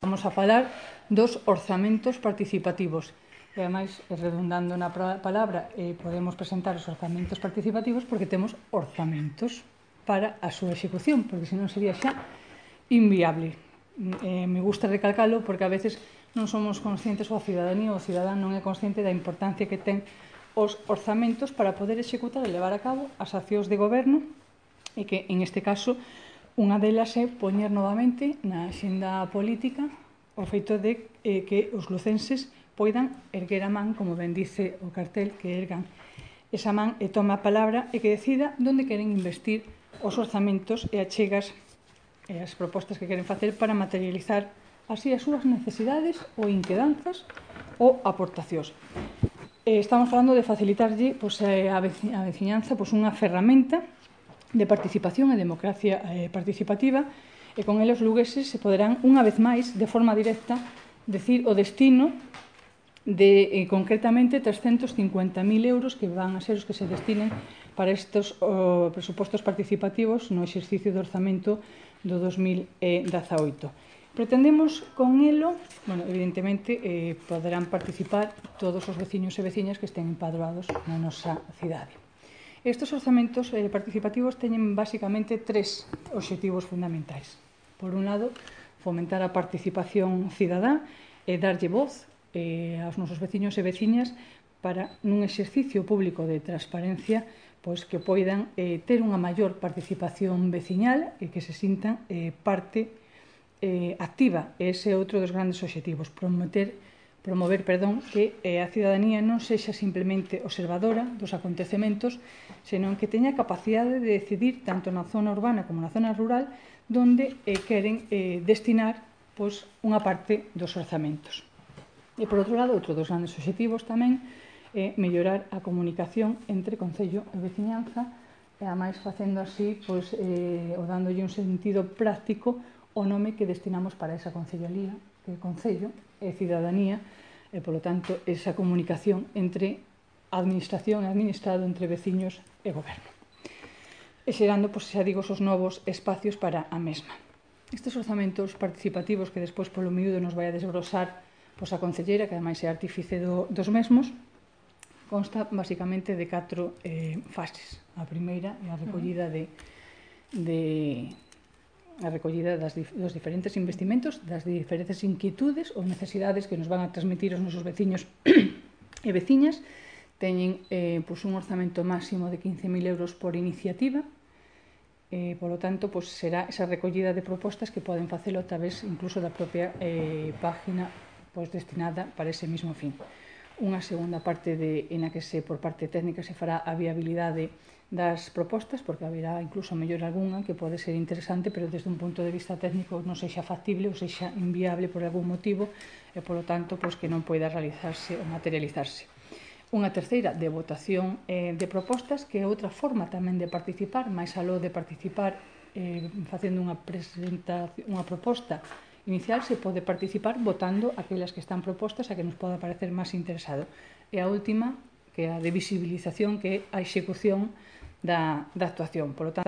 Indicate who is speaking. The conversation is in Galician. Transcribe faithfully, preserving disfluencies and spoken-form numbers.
Speaker 1: Vamos a falar dos orzamentos participativos. E, ademais, redundando na palabra, eh, podemos presentar os orzamentos participativos porque temos orzamentos para a súa execución, porque senón sería xa inviable. Eh, me gusta recalcalo porque a veces non somos conscientes, ou a cidadanía ou o cidadán non é consciente da importancia que ten os orzamentos para poder executar e levar a cabo as accións de goberno, e que, en este caso, unha delas é poñer novamente na axenda política o feito de eh, que os lucenses poidan erguer a man, como ben dice o cartel, que ergan esa man e toma a palabra e que decida onde queren investir os orzamentos e achegas e as propostas que queren facer para materializar así as súas necesidades ou inquedanzas ou aportacións. Eh, estamos falando de facilitarlle pois, a veciñanza pois, unha ferramenta de participación e democracia eh, participativa, e con eles lugueses se poderán, unha vez máis, de forma directa, decir o destino de, eh, concretamente, trescentos cincuenta mil euros que van a ser os que se destinen para estes oh, presupostos participativos no exercicio de orzamento do dos mil dezaoito. Pretendemos con elo, bueno, evidentemente, eh, poderán participar todos os veciños e veciñas que estén empadroados na nosa cidade. Estes orzamentos eh, participativos teñen basicamente tres obxectivos fundamentais. Por un lado, fomentar a participación cidadá e darlle voz eh, aos nosos veciños e veciñas para, nun exercicio público de transparencia, pois que poidan eh, ter unha maior participación veciñal e que se sintan eh, parte eh, activa. Ese é outro dos grandes obxectivos, promover promover, perdón, que eh, a cidadanía non sexa simplemente observadora dos acontecementos, senón que teña capacidade de decidir tanto na zona urbana como na zona rural donde eh, queren eh, destinar pois, unha parte dos orzamentos. E, por outro lado, outro dos grandes obxectivos tamén é mellorar a comunicación entre concello e veciñanza, e, ademais, facendo así, pois, eh, ou dándolle un sentido práctico o nome que destinamos para esa concellalía, que é concello e cidadanía, e, polo tanto, esa comunicación entre administración e administrado, entre veciños e goberno. E xerando, pois, xa digo, os novos espacios para a mesma. Estes orzamentos participativos que despois polo miúdo nos vai a desbrosar pois, a concelleira, que ademais é artífice do, dos mesmos, consta basicamente de catro eh, fases. A primeira é a recollida de, de a recollida das, dos diferentes investimentos, das diferentes inquietudes ou necesidades que nos van a transmitir os nosos veciños e veciñas. Teñen eh, pois un orzamento máximo de quince mil euros por iniciativa, e, polo tanto, pois, será esa recollida de propostas que poden facelo a través incluso da propia eh, página pois, destinada para ese mismo fin. Unha segunda parte de, en a que se, por parte técnica se fará a viabilidade das propostas, porque haberá incluso mellor algunha que pode ser interesante, pero desde un punto de vista técnico non sexa factible ou sexa inviable por algún motivo e, polo tanto, pois, que non poida realizarse ou materializarse. Unha terceira de votación eh, de propostas, que é outra forma tamén de participar, máis aló de participar eh, facendo unha, presentación, unha proposta inicial, se pode participar votando aquelas que están propostas a que nos poda parecer máis interesado. E a última, que é a de visibilización, que é a execución da, da actuación. Por lo tanto,